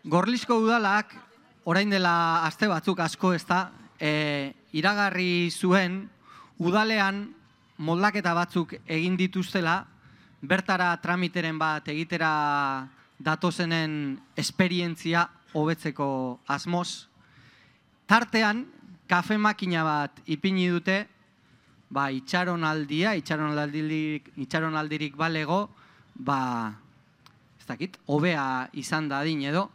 Gorlizko udalak, orain dela aste batzuk asko iragarri zuen udalean moldaketa batzuk egin dituztela, bertara tramiteren bat egitera datozenen esperientzia hobetzeko asmoz. Tartean, kafe makina bat ipini dute, itxaronaldirik balego, ez dakit, hobea izan dadin edo.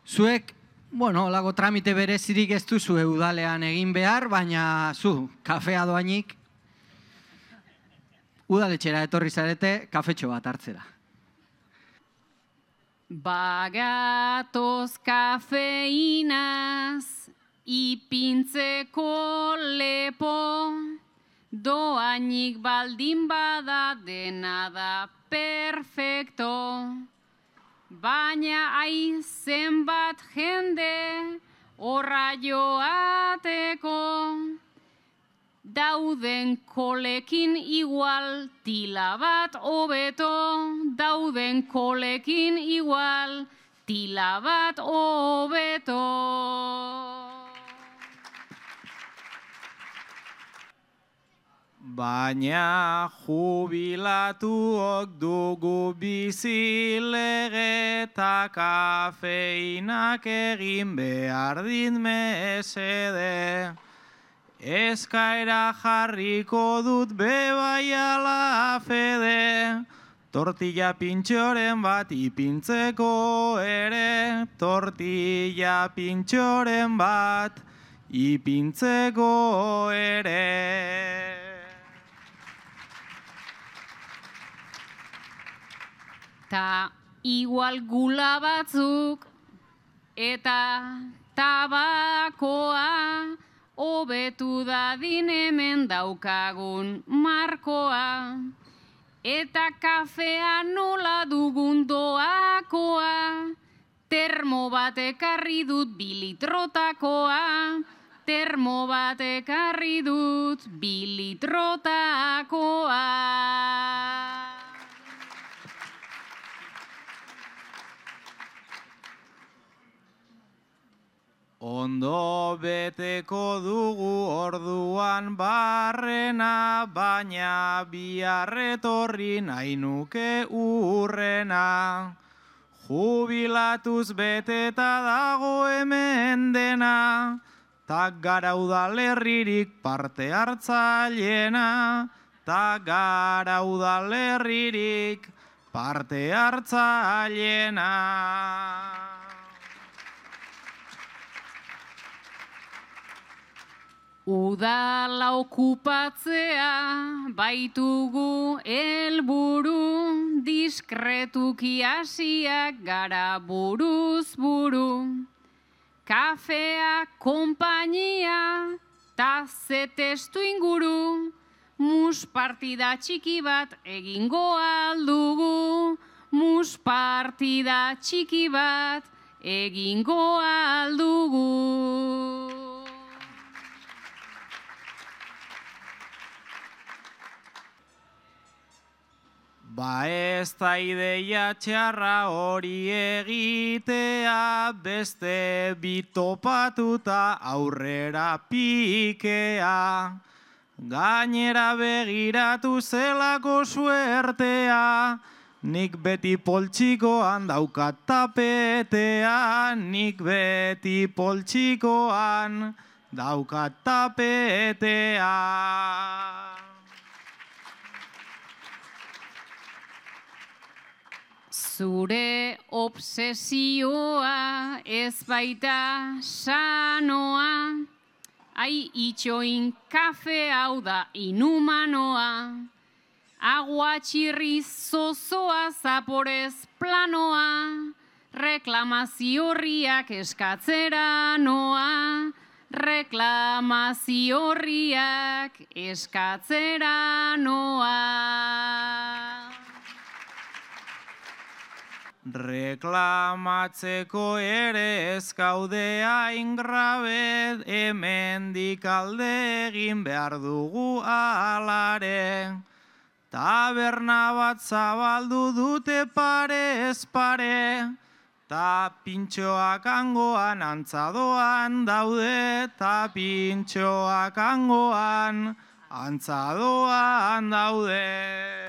Zuek, lago tramite berezirik ez duzu udalean egin behar, baina zu, kafea doainik, udaletxera etorri zarete, kafetxo bat hartzera. Bagatoz kafeinaz, ipintzeko lepo, doainik baldin bada dena da perfecto. Baina zenbat jende horra joateko, dauden kolekin igual tila bat hobeto, dauden kolekin igual tila bat hobeto. Baina jubilatuok dugu bizilege eta kafeinak egin behar din mesede. Eskaera jarriko dut bebai ala fede, tortilla pintxoren bat ipintzeko ere, tortilla pintxoren bat ipintzeko ere. Ta igual gula batzuk eta tabakoa hobetu dadin hemen daukagun markoa. Eta kafea nola dugun doakoa, termo bat ekarri dut 2 litrotakoa, termo bat ekarri dut 2 litrotakoa. Ondo beteko dugu orduan barrena, baina biarretorri nahi nuke urrena. Jubilatuz beteta dago hemen dena, tak gara udalerririk parte hartzaileena, tak gara udalerririk parte hartzaileena. Udala okupatzea baitugu helburu, diskretuki hasiak gara buruz buru. Kafea, konpainia, ta ze testu inguru, mus partida txiki bat egingo aldugu, mus partida txiki bat egingo aldugu. Ez da ideia txarra hori egitea, beste bitopatuta aurrera pikea. Gainera begiratu zelako suertea, nik beti poltsikoan daukat tapetea, nik beti poltsikoan daukat tapetea. Zure obsesioa ez baita sanoa, itxoin kafe hau da inhumanoa. Aguatxirri zozoa zaporez planoa, reklamazio horriak eskatzera noa, reklamazio horriak eskatzera noa. Reklamatzeko ere ez gaude hain grabe, hemendik alde egin behar dugu alare. Taberna bat zabaldu dute parez pare, Ta pintxoak angoan antzadoan daude, ta pintxoak angoan antzadoan daude.